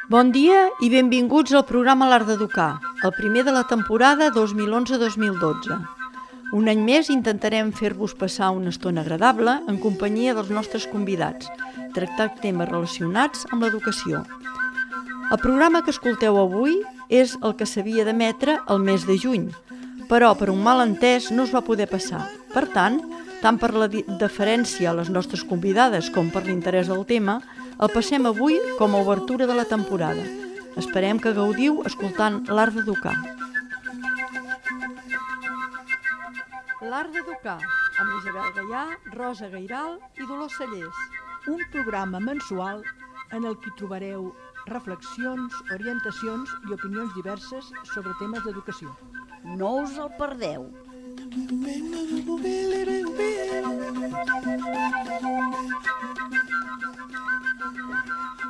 Bon dia i benvinguts al programa L'Art d'Educar, el primer de la temporada 2011-2012. Un any més intentarem fer-vos passar una estona agradable en companyia dels nostres convidats, tractar temes relacionats amb l'educació. El programa que escolteu avui és el que s'havia d'emetre el mes de juny, però per un malentès no es va poder passar. Per tant per la deferència a les nostres convidades com per l'interès del tema, el passem avui com a obertura de la temporada. Esperem que gaudiu escoltant L'Art d'Educar. L'Art d'Educar, amb Isabel Gaià, Rosa Gairal i Dolors Cellers. Un programa mensual en el que trobareu reflexions, orientacions i opinions diverses sobre temes d'educació. No us el perdeu.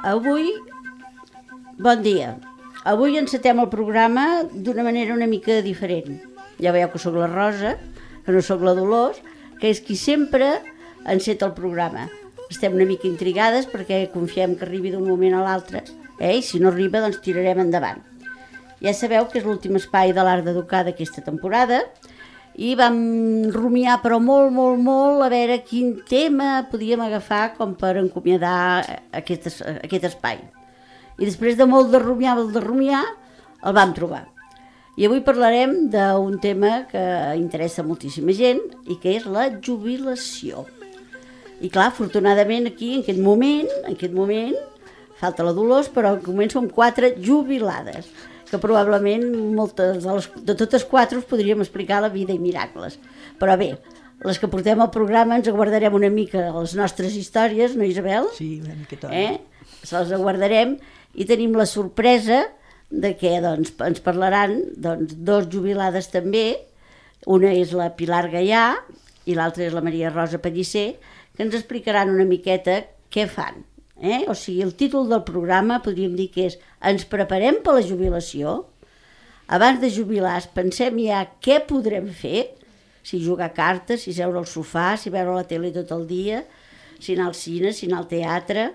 Avui, bon dia. Avui encetem el programa d'una manera una mica diferent. Ja veieu que sóc la Rosa, que no sóc la Dolors, que és qui sempre enceta el programa. Estem una mica intrigades perquè confiem que arribi d'un moment a l'altre, i si no arriba doncs tirarem endavant. Ja sabeu que és l'últim espai de l'Art d'Educar d'aquesta temporada i vam rumiar però molt a veure quin tema podíem agafar com per encomiadar aquest espai. I després de molt de rumiar, el vam trobar. I avui parlarem d'un tema que interessa moltíssima gent i que és la jubilació. I clar, afortunadament aquí, en aquest moment, falta la Dolors, però en aquest moment som 4 jubilades, que probablement de totes 4 us podríem explicar la vida i miracles. Però bé, les que portem al programa ens aguardarem una mica les nostres històries, no, Isabel? Sí, una miqueta. Se les aguardarem i tenim la sorpresa de que ens parlaran 2 jubilades també. Una és la Pilar Gaià i l'altra és la Maria Rosa Pellicer, que ens explicaran una miqueta què fan. O sigui, el títol del programa podríem dir que és Ens preparem per la jubilació? Abans de jubilar pensem ja què podrem fer, si jugar a cartes, si seure al sofà, si veure la tele tot el dia, si anar al cine, si anar al teatre,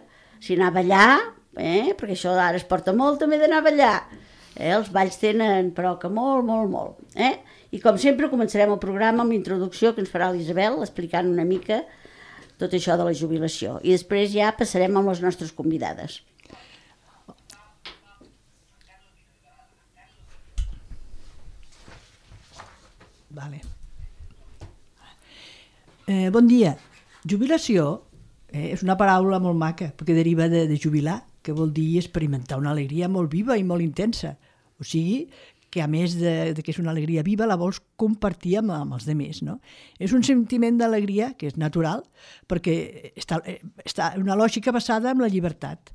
si anar a ballar, perquè això ara es porta molt també d'anar a ballar. Els balls tenen però que molt. I com sempre començarem el programa amb la introducció que ens farà l'Isabel explicant una mica tot això de la jubilació. I després ja passarem amb les nostres convidades. Vale. Bon dia. Jubilació és una paraula molt maca, perquè deriva de jubilar, que vol dir experimentar una alegria molt viva i molt intensa. O sigui, que a més de que és una alegria viva, la vols compartir amb els altres, no? És un sentiment d'alegria que és natural, perquè està una lògica basada en la llibertat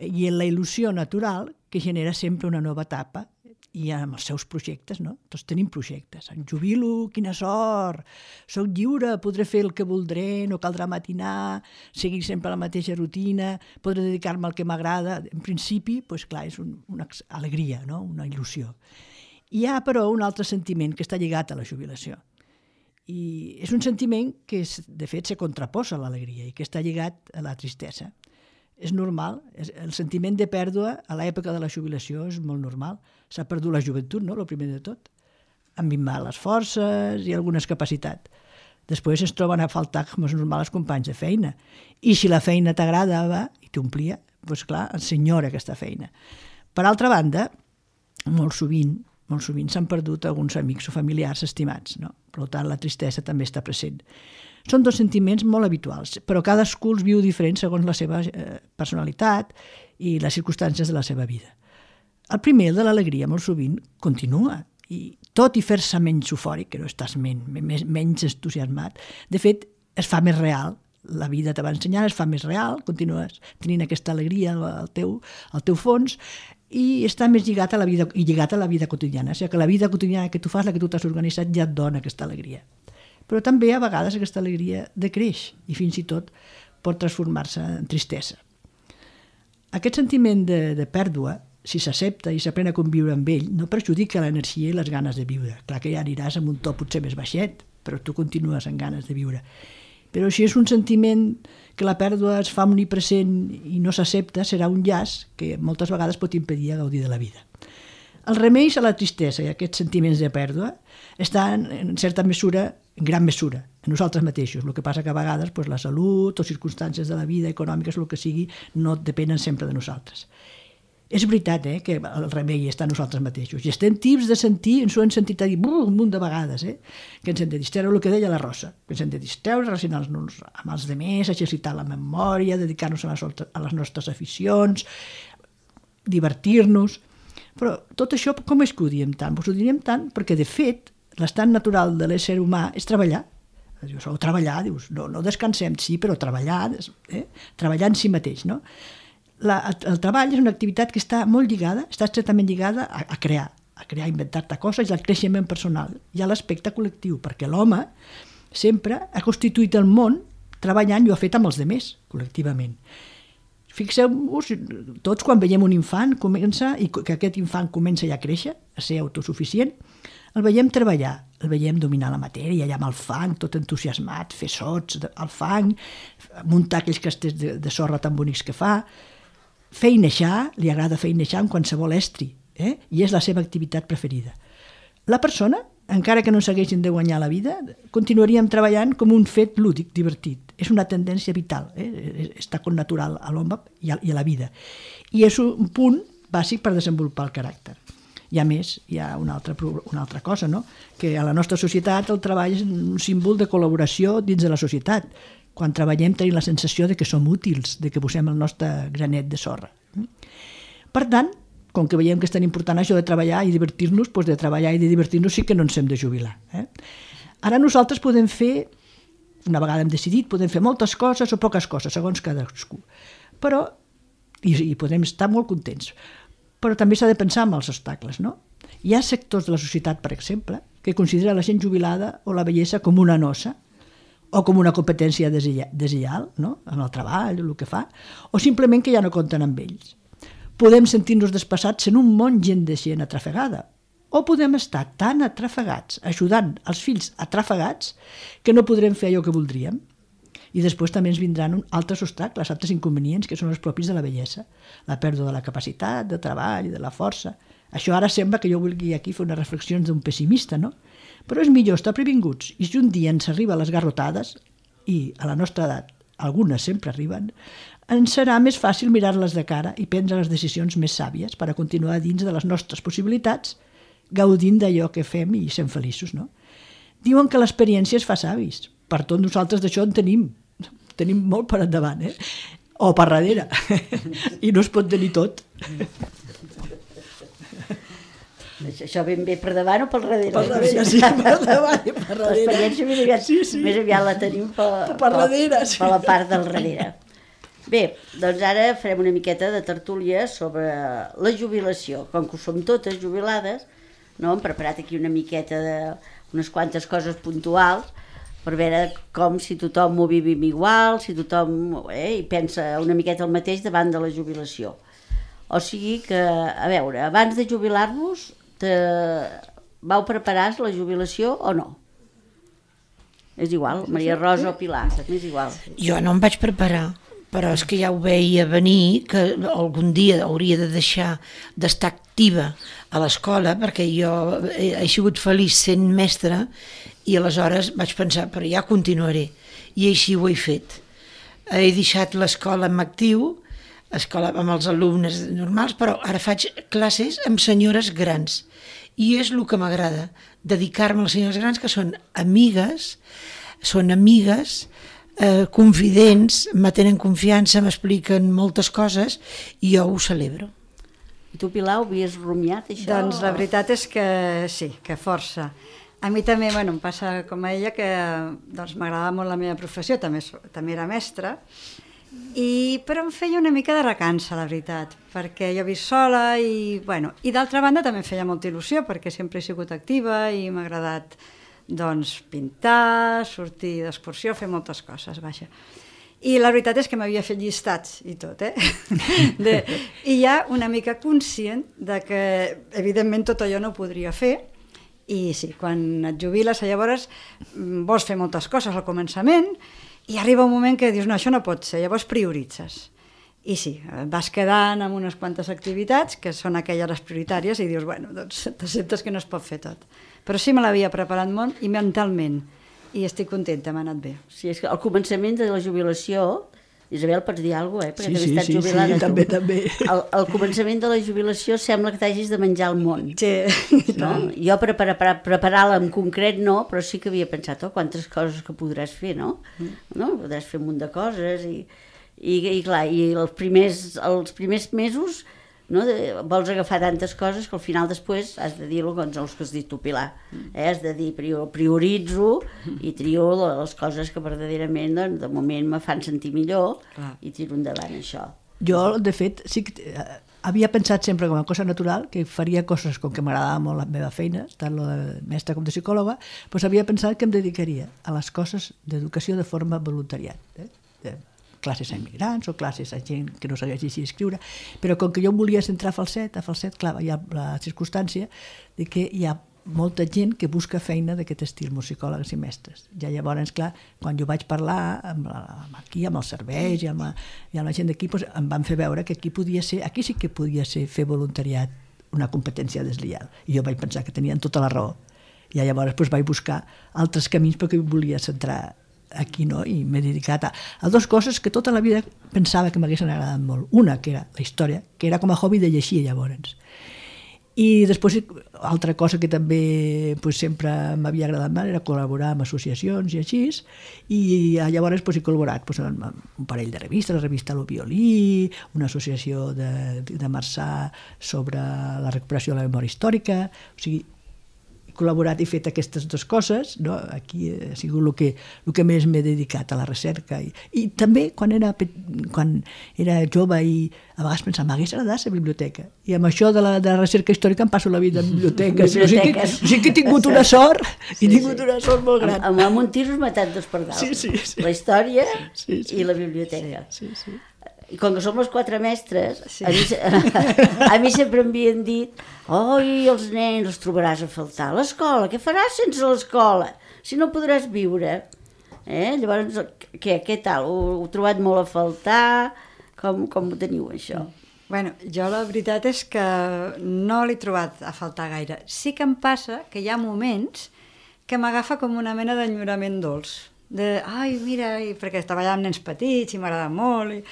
i en la il·lusió natural que genera sempre una nova etapa i amb els seus projectes, no? Tots tenim projectes. Em jubilo, quina sort! Soc lliure, podré fer el que voldré, no caldrà matinar, seguir sempre la mateixa rutina, podré dedicar-me al que m'agrada. En principi, doncs clar, és una alegria, no? Una il·lusió. Hi ha, però, un altre sentiment que està lligat a la jubilació. I és un sentiment que, de fet, se contraposa a l'alegria i que està lligat a la tristesa. És normal, el sentiment de pèrdua a l'època de la jubilació és molt normal. S'ha perdut la joventut, no?, el primer de tot. Han minvat les forces i algunes capacitats. Després es troben a faltar, com és normal, els companys de feina. I si la feina t'agradava i t'omplia, doncs clar, ensenyora aquesta feina. Per altra banda, molt sovint s'han perdut alguns amics o familiars estimats, no? Per tant, la tristesa també està present. Són 2 sentiments molt habituals, però cadascú els viu diferent segons la seva personalitat i les circumstàncies de la seva vida. El primer, el de l'alegria, molt sovint continua, i tot i fer-se menys eufòric, que no estàs menys entusiasmat, de fet, es fa més real. La vida te va ensenyar, es fa més real, continues tenint aquesta alegria al teu fons, i està més lligat a la vida quotidiana. O sigui que la vida quotidiana que tu fas, la que tu t'has organitzat, ja et dona aquesta alegria. Però també a vegades aquesta alegria decreix i fins i tot pot transformar-se en tristesa. Aquest sentiment de pèrdua, si s'accepta i s'aprèn a conviure amb ell, no perjudica l'energia i les ganes de viure. Clar que ja aniràs amb un to potser més baixet, però tu continues amb ganes de viure. Però si és un sentiment que la pèrdua es fa omnipresent i no s'accepta, serà un llaç que moltes vegades pot impedir gaudir de la vida. Els remeis a la tristesa i a aquests sentiments de pèrdua estan, en certa mesura, en gran mesura, en nosaltres mateixos. El que passa que a vegades la salut o circumstàncies de la vida, econòmiques, el que sigui, no depenen sempre de nosaltres. És veritat que el remei està a nosaltres mateixos. I estem tips de sentir, ens ho hem sentit a dir un munt de vegades, que ens hem de distreure, el que deia la Rosa, que ens hem de distreure, relacionar-nos amb els altres, exercitar la memòria, dedicar-nos a les nostres aficions, divertir-nos. Però tot això com és que ho diem tant? Ho diem tant perquè, de fet, l'estat natural de l'ésser humà és treballar. Dius, treballar, dius, no descansem, sí, però treballar, treballar en si mateix, no? El treball és una activitat que està molt lligada, està estretament lligada a crear, a inventar-te coses i al creixement personal i a l'aspecte col·lectiu, perquè l'home sempre ha constituït el món treballant i ho ha fet amb els altres, col·lectivament. Fixeu-vos, tots quan veiem un infant i que aquest infant comença ja a créixer, a ser autosuficient, el veiem treballar, el veiem dominar la matèria, allà amb el fang, tot entusiasmat, fer sots al fang, muntar aquells castells de sorra tan bonics que fa, feinejar, li agrada feinejar amb qualsevol estri, i és la seva activitat preferida. La persona, encara que no s'haguessin de guanyar la vida, continuaríem treballant com un fet lúdic, divertit. És una tendència vital, està connatural a l'home i a la vida. I és un punt bàsic per desenvolupar el caràcter. I a més, hi ha una altra cosa, no? Que a la nostra societat el treball és un símbol de col·laboració dins de la societat. Quan treballem tenim la sensació de que som útils, de que posem el nostre granet de sorra. Per tant, com que veiem que és tan important això de treballar i divertir-nos, doncs de treballar i de divertir-nos sí que no ens hem de jubilar. Ara nosaltres podem fer, una vegada hem decidit, podem fer moltes coses o poques coses, segons cadascú. Però, i podem estar molt contents, però també s'ha de pensar en els obstacles, no? Hi ha sectors de la societat, per exemple, que considera la gent jubilada o la vellesa com una nosa, o com una competència deslleial, no? En el treball, el que fa, o simplement que ja no compten amb ells. Podem sentir-nos despassats en un món de gent atrafegada, o podem estar tan atrafegats, ajudant els fills atrafegats, que no podrem fer allò que voldríem. I després també ens vindran altres obstacles, altres inconvenients, que són els propis de la vellesa, la pèrdua de la capacitat, de treball, de la força. Això ara sembla que jo vulgui aquí fer unes reflexions d'un pessimista, no? Però és millor estar previnguts, i si un dia ens arriba a les garrotades, i a la nostra edat algunes sempre arriben, ens serà més fàcil mirar-les de cara i prendre les decisions més sàvies per a continuar dins de les nostres possibilitats, gaudint d'allò que fem i sent feliços, no? Diuen que l'experiència es fa savis. Per tot nosaltres d'això en tenim molt per endavant, o per darrere, i no es pot tenir tot. Això ben bé per davant o per darrere? Per darrere, sí, per davant i per darrere. L'experiència més aviat la tenim per la part del darrere. Bé, doncs ara farem una miqueta de tertúlia sobre la jubilació. Com que som totes jubilades, no? Hem preparat aquí una miqueta d'unes quantes coses puntuals per veure com si tothom ho vivim igual, si tothom hi pensa una miqueta el mateix davant de la jubilació. O sigui que, a veure, abans de jubilar-vos, vau preparar la jubilació o no? És igual, Maria Rosa o Pilar, és igual. Jo no em vaig preparar, però és que ja ho veia venir, que algun dia hauria de deixar d'estar activa a l'escola, perquè jo he sigut feliç sent mestra, i aleshores vaig pensar, però ja continuaré, i així ho he fet. He deixat l'escola en actiu, escola amb els alumnes normals, però ara faig classes amb senyores grans, i és el que m'agrada, dedicar-me a les senyores grans, que són amigues, confidents, me tenen confiança, m'expliquen moltes coses, i jo ho celebro. I tu, Pilar, ho havies rumiat, això? Doncs la veritat és que sí, que força. A mi també, em passa com a ella, que doncs, m'agradava molt la meva professió, també era mestra, però em feia una mica de recança, la veritat, perquè jo visc sola i d'altra banda també em feia molta il·lusió, perquè sempre he sigut activa i m'ha agradat doncs, pintar, sortir d'excursió, fer moltes coses, vaja. I la veritat és que m'havia fet llistats i tot, I ja una mica conscient de que, evidentment, tot allò no ho podria fer, I sí, quan et jubiles, llavors vols fer moltes coses al començament i arriba un moment que dius, no, això no pot ser, llavors prioritzes. I sí, vas quedant amb unes quantes activitats que són aquelles les prioritàries i dius, bueno, doncs t'acceptes que no es pot fer tot. Però sí me l'havia preparat molt i mentalment, i estic contenta, m'ha anat bé. Sí, és que al començament de la jubilació, Isabel, pots dir alguna cosa, perquè Sí, també estàs jubilada. sí, també. Al començament de la jubilació sembla que t'hagis de menjar el món. Sí, No? Jo preparar-la en concret no, però sí que havia pensat, quantes coses que podràs fer, no? No? Podràs fer un munt de coses i clar, i els primers mesos, no, vols agafar tantes coses que al final després has de dir els que has dit tu, Pilar. Has de dir, prioritzo i trio les coses que verdaderament de moment me fan sentir millor i tiro endavant això. Jo, de fet, sí que havia pensat sempre com a cosa natural que faria coses com que m'agradava molt la meva feina, tant la de mestra com de psicòloga, doncs havia pensat que em dedicaria a les coses d'educació de forma voluntariat. Classes a immigrants o classes a gent que no sabia llegir i escriure, però com que jo em volia centrar a falset, clar, hi ha la circumstància de que hi ha molta gent que busca feina d'aquest estil, musicòlegs i mestres. Ja llavors, clar, quan jo vaig parlar amb els serveis i amb la gent d'aquí, doncs em van fer veure que aquí sí que podia ser fer voluntariat una competència deslleial. I jo vaig pensar que tenien tota la raó. I llavors vaig buscar altres camins perquè em volia centrar aquí, no? I m'he dedicat a dues coses que tota la vida pensava que m'haguessin agradat molt. Una, que era la història, que era com a hobby de llegir llavors. I després, altra cosa que també sempre m'havia agradat molt era col·laborar amb associacions i així, i llavors he col·laborat amb un parell de revistes, la revista Lo Violí, una associació de Marçà sobre la recuperació de la memòria històrica, o sigui, col·laborat i fet aquestes dues coses, no? Aquí ha sigut el que més m'he dedicat a la recerca i també quan era jove i a vegades pensava, m'hagués agradat la biblioteca, i amb això de la recerca històrica em passo la vida en biblioteques. O sigui que he tingut una sort una sort molt gran. Amb un tir us matat dos per dalt. Sí. La història i la biblioteca. Sí. I com que som les quatre mestres, a mi sempre m'havien dit els nens els trobaràs a faltar a l'escola, què faràs sense l'escola? Si no podràs viure. Llavors, què tal? Ho heu trobat molt a faltar? Com ho teniu, això? Bueno, jo la veritat és que no l'he trobat a faltar gaire. Sí que em passa que hi ha moments que m'agafa com una mena d'enyorament dolç. Mira, perquè treballava amb nens petits i m'agrada molt,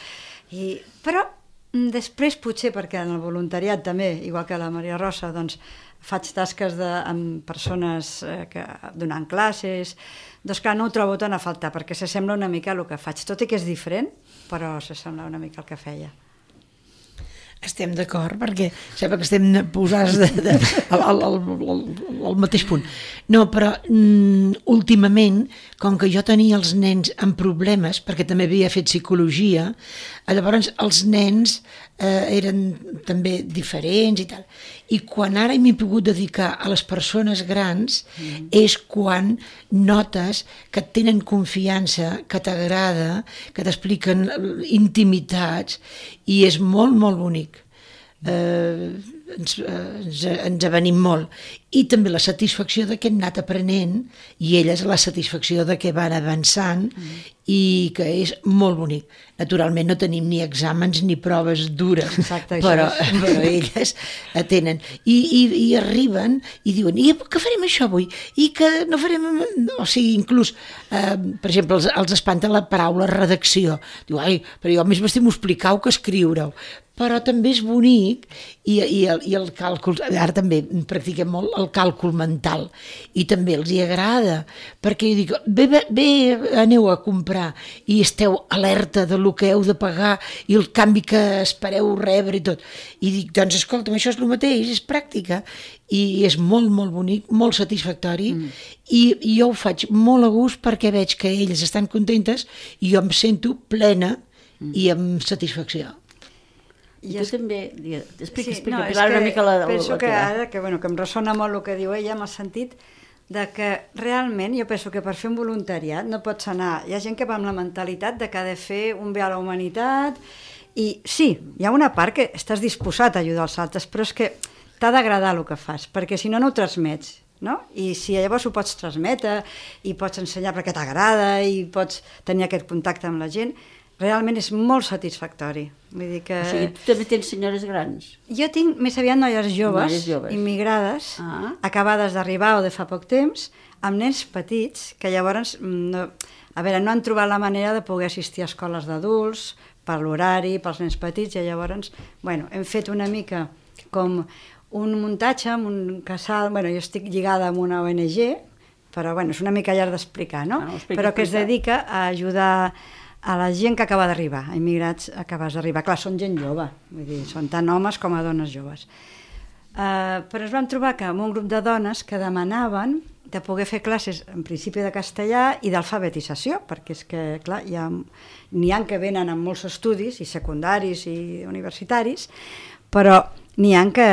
però després potser perquè en el voluntariat també, igual que la Maria Rosa, doncs faig tasques amb persones donant classes, doncs clar, no ho trobo tant a faltar perquè s'assembla una mica al que faig, tot i que és diferent, però s'assembla una mica al que feia. Estem d'acord, perquè sembla que estem posats al mateix punt. No, però últimament, com que jo tenia els nens amb problemes, perquè també havia fet psicologia, llavors els nens eren també diferents i tal. I quan ara m'he pogut dedicar a les persones grans és quan notes que et tenen confiança, que t'agrada, que t'expliquen intimitats, i és molt, molt bonic. Ens avenim molt, i també la satisfacció de que hem anat aprenent i elles la satisfacció de que van avançant i que és molt bonic. Naturalment no tenim ni exàmens ni proves dures. Exacte, però elles tenen i arriben i diuen, i què farem això avui? I que no farem... O sigui, inclús per exemple, els espanta la paraula redacció. Diu, però jo més m'estimo explicar-ho que escriure-ho. Però també és bonic i el càlcul, ara també practiquem molt el càlcul mental i també els hi agrada, perquè jo dic, bé, aneu a comprar i esteu alerta de lo que heu de pagar i el canvi que espereu rebre i tot, i dic, doncs escolta'm, això és el mateix, és pràctica, i és molt, molt bonic, molt satisfactori, i jo ho faig molt a gust perquè veig que elles estan contentes i jo em sento plena i amb satisfacció. I tu també... Explica, no, Pilar, una mica la penso que ara, que em ressona molt el que diu ella, en el sentit de que realment jo penso que per fer un voluntariat no pots anar... Hi ha gent que va amb la mentalitat de que ha de fer un bé a la humanitat i sí, hi ha una part que estàs disposat a ajudar els altres, però és que t'ha d'agradar el que fas, perquè si no, no ho transmets. no? I si llavors ho pots transmetre i pots ensenyar perquè t'agrada i pots tenir aquest contacte amb la gent, realment és molt satisfactori. Vull dir que... O sigui, tu també tens senyores grans? Jo tinc més aviat noies joves, immigrades, acabades d'arribar o de fa poc temps, amb nens petits, que llavors no han trobat la manera de poder assistir a escoles d'adults, per l'horari, pels nens petits, i llavors hem fet una mica com un muntatge amb un casal, jo estic lligada amb una ONG, però és una mica llarg d'explicar, no? Però que es dedica a ajudar a la gent que acaba d'arribar, a immigrats acabats d'arribar. Clar, són gent jove, vull dir, són tant homes com a dones joves. Però ens vam trobar que amb un grup de dones que demanaven de poder fer classes en principi de castellà i d'alfabetització, perquè és que, clar, n'hi ha que venen amb molts estudis, i secundaris i universitaris, però n'hi ha que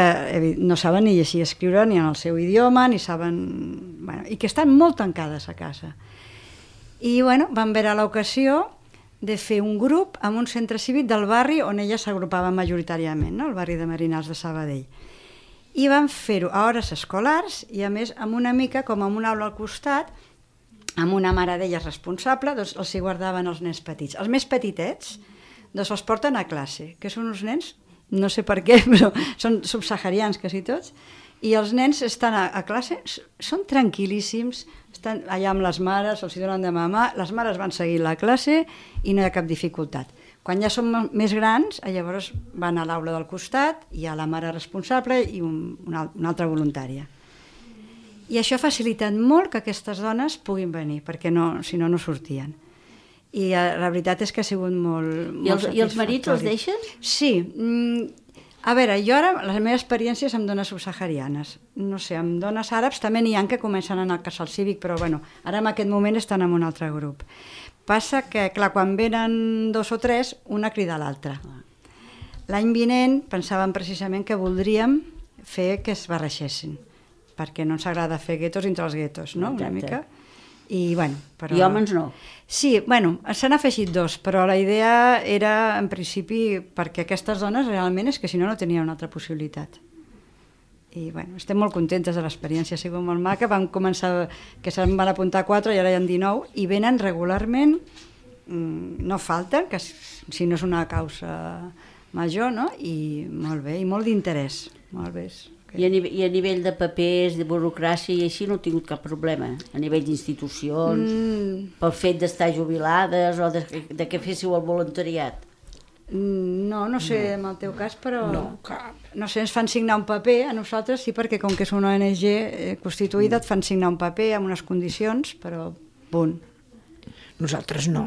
no saben ni llegir i escriure ni en el seu idioma, ni saben... i que estan molt tancades a casa. I, van veure l'ocasió de fer un grup en un centre cívic del barri on elles s'agrupaven majoritàriament, no? El barri de Marinals de Sabadell. I van fer-ho a hores escolars i, a més, amb una mica com amb una aula al costat, amb una mare d'elles responsable, doncs els hi guardaven els nens petits. Els més petitets, doncs els porten a classe, que són uns nens, no sé per què, però són subsaharians quasi tots, i els nens estan a classe, són tranquil·líssims, estan allà amb les mares, els hi donen de mamar, les mares van seguir la classe i no hi ha cap dificultat. Quan ja són més grans, llavors van a l'aula del costat, hi ha la mare responsable i una altra voluntària. I això ha facilitat molt que aquestes dones puguin venir, perquè si no sortien. I la veritat és que ha sigut molt satisfactori. I els marits els deixen? Sí. A veure, jo ara, la meva experiència és amb dones subsaharianes. No sé, amb dones àrabs també n'hi ha que comencen a anar al casal cívic, però ara en aquest moment estan en un altre grup. Passa que, clar, quan venen 2 o 3, una crida a l'altra. L'any vinent pensàvem precisament que voldríem fer que es barreixessin, perquè no ens agrada fer guetos entre els guetos, no? Una mica. I homes no? Sí, s'han afegit 2, però la idea era, en principi, perquè aquestes dones realment és que si no tenien una altra possibilitat. I estem molt contentes de l'experiència, ha sigut molt maca. Vam començar, que se'n van apuntar 4 i ara hi ha 19, i venen regularment, no falten, que si no és una causa major, no? I molt bé, i molt d'interès. Molt bé. I a nivell de papers, de burocràcia i així no heu tingut cap problema? A nivell d'institucions, pel fet d'estar jubilades o de que féssiu el voluntariat? No sé en el teu cas, però... No, cap. No sé, ens fan signar un paper, a nosaltres sí, perquè com que és una ONG constituïda et fan signar un paper amb unes condicions, però punt. Nosaltres no.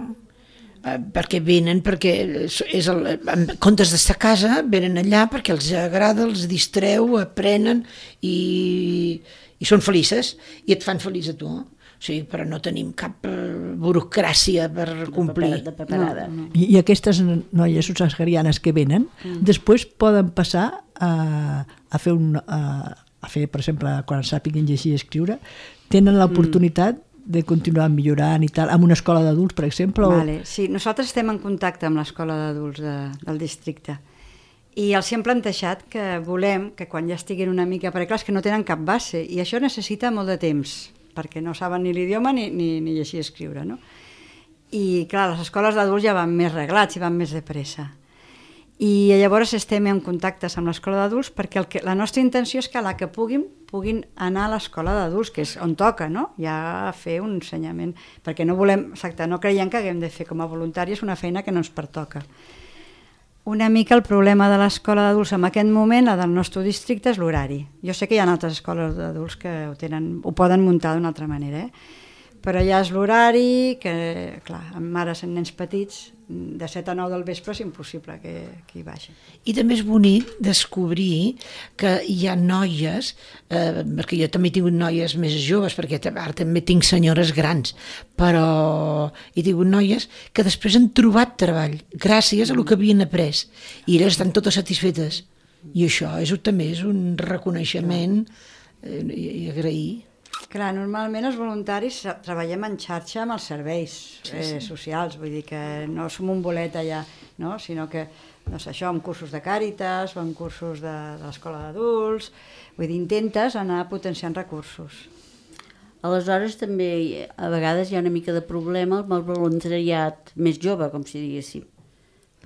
Perquè venen, en comptes d'estar a casa, venen allà perquè els agrada, els distreu, aprenen i són felices i et fan feliç a tu. O sigui, però no tenim cap burocràcia per complir. De paperada. No. I aquestes noies subsaharianes que venen, després poden passar a fer, per exemple, quan sàpiguen llegir i escriure, tenen l'oportunitat de continuar millorant i tal, amb una escola d'adults, per exemple? Sí, nosaltres estem en contacte amb l'escola d'adults del districte i els hem plantejat que volem que quan ja estiguin una mica, perquè clar, és que no tenen cap base i això necessita molt de temps, perquè no saben ni l'idioma ni llegir i escriure, no? I clar, les escoles d'adults ja van més reglats i van més de pressa. I llavors estem en contactes amb l'escola d'adults perquè la nostra intenció és que la que puguin anar a l'escola d'adults, que és on toca, no? Ja fer un ensenyament, perquè no creiem que haguem de fer com a voluntàries una feina que no ens pertoca. Una mica el problema de l'escola d'adults en aquest moment, la del nostre districte, és l'horari. Jo sé que hi ha altres escoles d'adults que ho poden muntar d'una altra manera, però ja és l'horari, que clar, amb mares amb nens petits, de 7 a 9 del vespre és impossible que hi vagin. I també és bonic descobrir que hi ha noies, perquè jo també he tingut noies més joves, perquè ara també tinc senyores grans, però he tingut noies que després han trobat treball gràcies a el que havien après i elles estan totes satisfetes. I això també és un reconeixement i agrair. Clar, normalment els voluntaris treballem en xarxa amb els serveis socials, vull dir que no som un bolet allà, no? Sinó que, doncs això, amb cursos de Càritas o amb cursos de l'escola d'adults, vull dir, intentes anar potenciant recursos. Aleshores també a vegades hi ha una mica de problema amb el voluntariat més jove, com si diguéssim,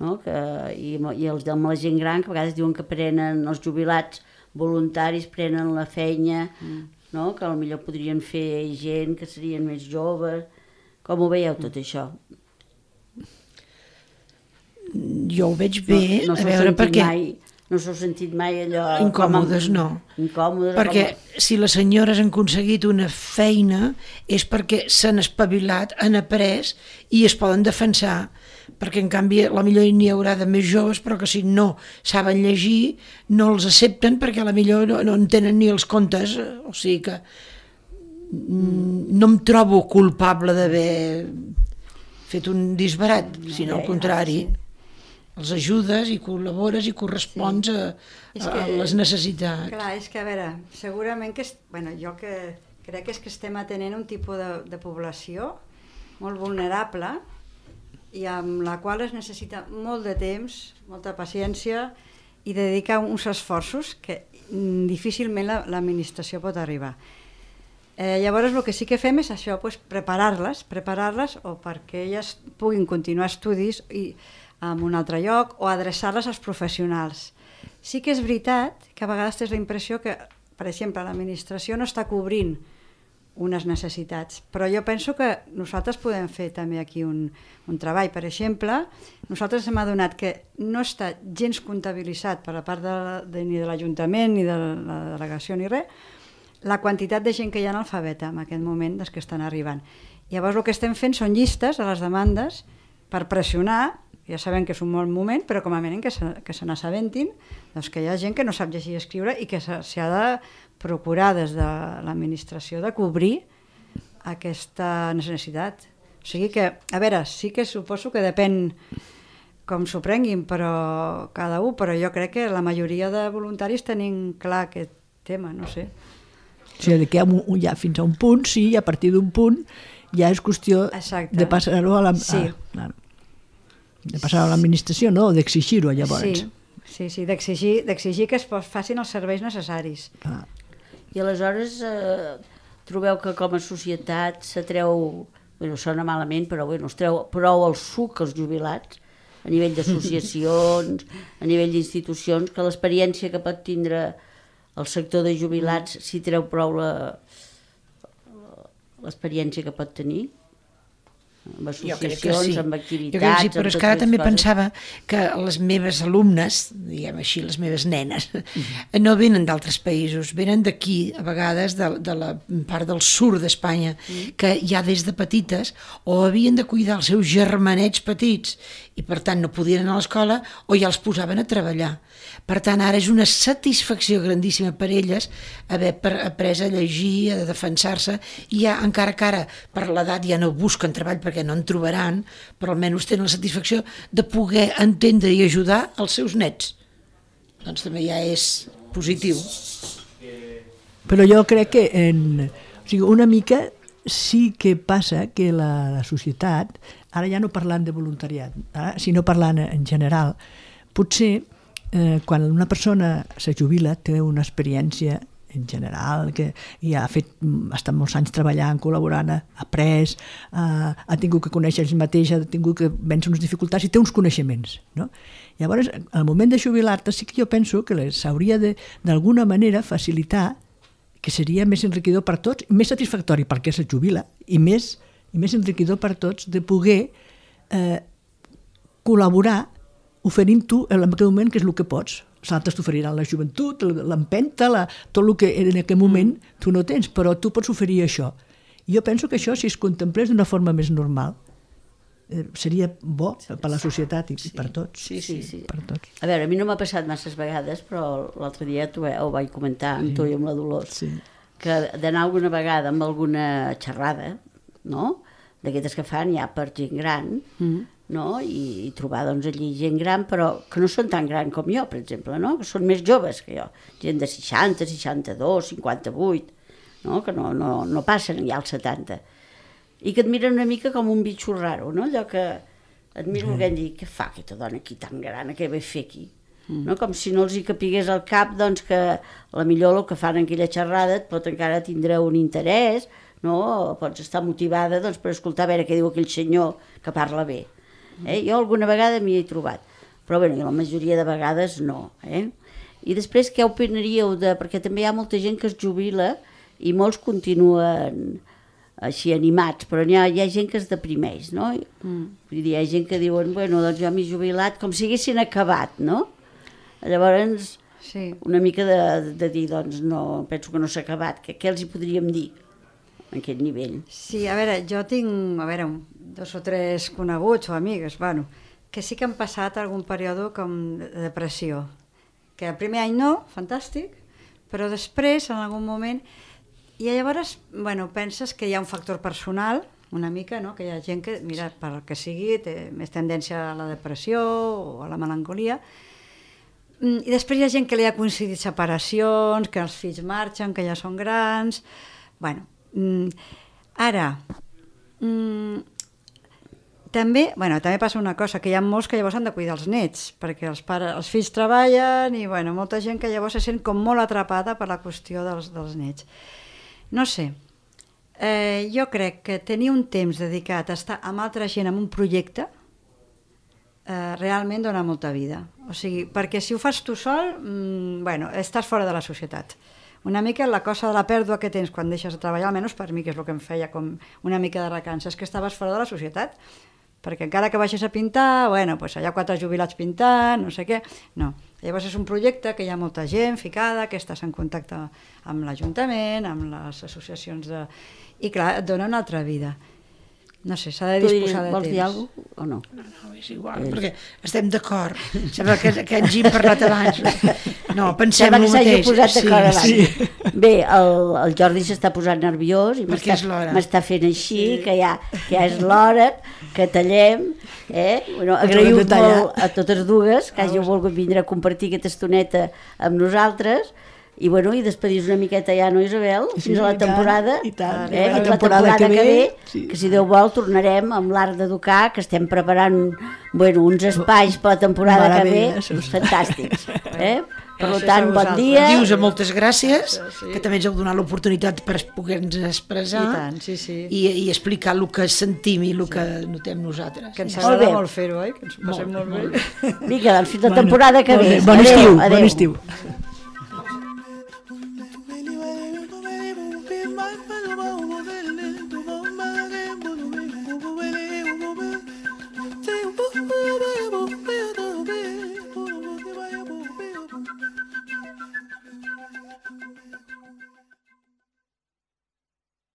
no? I amb la gent gran, que a vegades diuen que prenen els jubilats voluntaris, prenen la feina, no? Que potser podrien fer gent que serien més joves. Com ho veieu tot això? Jo ho veig bé, a veure, perquè... No s'ho sentit mai allò... Incòmodes, no. Incòmodes, perquè si les senyores han aconseguit una feina és perquè s'han espavilat, han après i es poden defensar, perquè en canvi la millor n'hi haurà de més joves però que si no saben llegir no els accepten perquè la millor no entenen ni els contes, o sigui que no em trobo culpable d'haver fet un disbarat, sinó al contrari. Els ajudes i col·labores i correspons a les necessitats. Clar, és que a veure, segurament que... jo el que crec és que estem atenent un tipus de població molt vulnerable i amb la qual es necessita molt de temps, molta paciència i dedicar uns esforços que difícilment l'administració pot arribar. Llavors el que sí que fem és això, preparar-les o perquè elles puguin continuar estudis en un altre lloc o adreçar-les als professionals. Sí que és veritat que a vegades tens la impressió que, per exemple, l'administració no està cobrint unes necessitats, però jo penso que nosaltres podem fer també aquí un treball. Per exemple, nosaltres hem adonat que no està gens comptabilitzat per la part ni de l'Ajuntament ni de la delegació ni res, la quantitat de gent que hi ha analfabeta en aquest moment dels que estan arribant. Llavors el que estem fent són llistes de les demandes per pressionar. Ja sabem que és un bon moment, però com a mínim que se n'assabentin, doncs que hi ha gent que no sap llegir i escriure i que s'ha de procurar des de l'administració de cobrir aquesta necessitat. O sigui que, a veure, sí que suposo que depèn com s'ho prenguin, però cada un, però jo crec que la majoria de voluntaris tenim clar aquest tema, no sé. O sigui, que ja fins a un punt, sí, i a partir d'un punt ja és qüestió de passar-ho a la... De passar a l'administració, no? D'exigir-ho, llavors. Sí, d'exigir que es facin els serveis necessaris. I aleshores trobeu que com a societat se treu, sona malament, però es treu prou el suc als jubilats, a nivell d'associacions, a nivell d'institucions, que l'experiència que pot tindre el sector de jubilats s'hi treu prou l'experiència que pot tenir? Amb associacions, amb activitats... Jo crec que sí, però és que ara també pensava que les meves alumnes, diguem així, les meves nenes, no venen d'altres països, venen d'aquí, a vegades, de la part del sud d'Espanya, que ja des de petites o havien de cuidar els seus germanets petits i per tant no podien anar a l'escola o ja els posaven a treballar. Per tant, ara és una satisfacció grandíssima per elles haver après a llegir, a defensar-se, i ja, encara que ara per l'edat ja no busquen treball perquè no en trobaran, però almenys tenen la satisfacció de poder entendre i ajudar els seus nets. Doncs també ja és positiu. Però jo crec que una mica sí que passa que la societat, ara ja no parlant de voluntariat, sinó parlant en general, potser quan una persona se jubila té una experiència en general que ja ha estat molts anys treballant, col·laborant, ha après, ha tingut que conèixer ells mateix, ha tingut que vèncer unes dificultats i té uns coneixements, no? Llavors, al moment de jubilar-te sí que jo penso que s'hauria d'alguna manera facilitar, que seria més enriquidor per tots, més satisfactori perquè se jubila i més enriquidor per tots de poder col·laborar oferint tu en aquell moment que és el que pots. Els altres t'oferiran la joventut, l'empenta, tot el que en aquell moment tu no tens, però tu pots oferir això. I jo penso que això, si es contemplés d'una forma més normal, seria bo per la societat i per tots. Sí. Per tots. A veure, a mi no m'ha passat masses vegades, però l'altre dia ho vaig comentar amb tu i amb la Dolors, que d'anar alguna vegada amb alguna xerrada, no?, d'aquestes que fan ja per gent gran, no? I trobar doncs, allí gent gran, però que no són tan gran com jo, per exemple, no? Que són més joves que jo, gent de 60, 62, 58, no? Que no passen ja als 70, i que et miren una mica com un bitxo raro, no? Allò que et miro que dir, què fa aquesta dona aquí tan gran, què ve a fer aquí? No? Com si no els hi capigués al cap doncs, que a la millor el que fan en aquella xerrada et pot encara tindre un interès, no? O pots estar motivada doncs, per escoltar a veure què diu aquell senyor que parla bé. Jo alguna vegada m'hi he trobat, però bé, la majoria de vegades no. I després què opinaríeu perquè també hi ha molta gent que es jubila i molts continuen així animats, però hi ha gent que es deprimeix, no? Vull dir, hi ha gent que diuen, bueno, doncs jo m'he jubilat com si haguessin acabat, no? Llavors, una mica de dir, doncs no, penso que no s'ha acabat, què els hi podríem dir en aquest nivell? Sí, a veure, jo tinc, 2 o 3 coneguts o amigues, bueno, que sí que han passat algun període com de depressió, que el primer any no, fantàstic, però després, en algun moment, i llavors, bueno, penses que hi ha un factor personal, una mica, no? Que hi ha gent que, mira, pel que sigui, té més tendència a la depressió o a la melancolia, i després hi ha gent que li ha coincidit separacions, que els fills marxen, que ja són grans, bueno, ara, també passa una cosa, que hi ha molts que llavors han de cuidar els nets, perquè els fills treballen i molta gent que llavors se sent com molt atrapada per la qüestió dels nets. No sé, jo crec que tenir un temps dedicat a estar amb altra gent en un projecte realment dona molta vida. O sigui, perquè si ho fas tu sol, estàs fora de la societat. Una mica la cosa de la pèrdua que tens quan deixes de treballar, almenys per mi, que és el que em feia com una mica de recança, és que estaves fora de la societat, perquè encara que baixes a pintar, doncs hi ha 4 jubilats pintant, no sé què, no. Llavors és un projecte que hi ha molta gent ficada, que estàs en contacte amb l'Ajuntament, amb les associacions de... I clar, et dona una altra vida. No sé, s'ha de disposar de temps. Vols dir alguna cosa o no? No, és igual, perquè estem d'acord. Sembla que ens hi hem parlat abans. No, pensem el mateix. Sembla que s'hagi posat d'acord abans. Sí. Bé, el Jordi s'està posant nerviós i m'està fent així, que ja és l'hora, que tallem. Agraïu molt a totes dues que hàgiu volgut vindre a compartir aquesta estoneta amb nosaltres. I despedir-nos una miqueta ja, no, Isabel? Fins a la temporada. I tant. La temporada que ve, que si Déu vol tornarem amb l'Art d'Educar, que estem preparant uns espais per la temporada que ve fantàstics. Per tant, bon dia. Dius a moltes gràcies, que també ens heu donat l'oportunitat per poder-nos expressar. I tant, sí. I explicar el que sentim i el que notem nosaltres. Que ens agrada molt fer-ho, que ens ho passem molt bé. Vinga, doncs fins la temporada que ve. Bon estiu.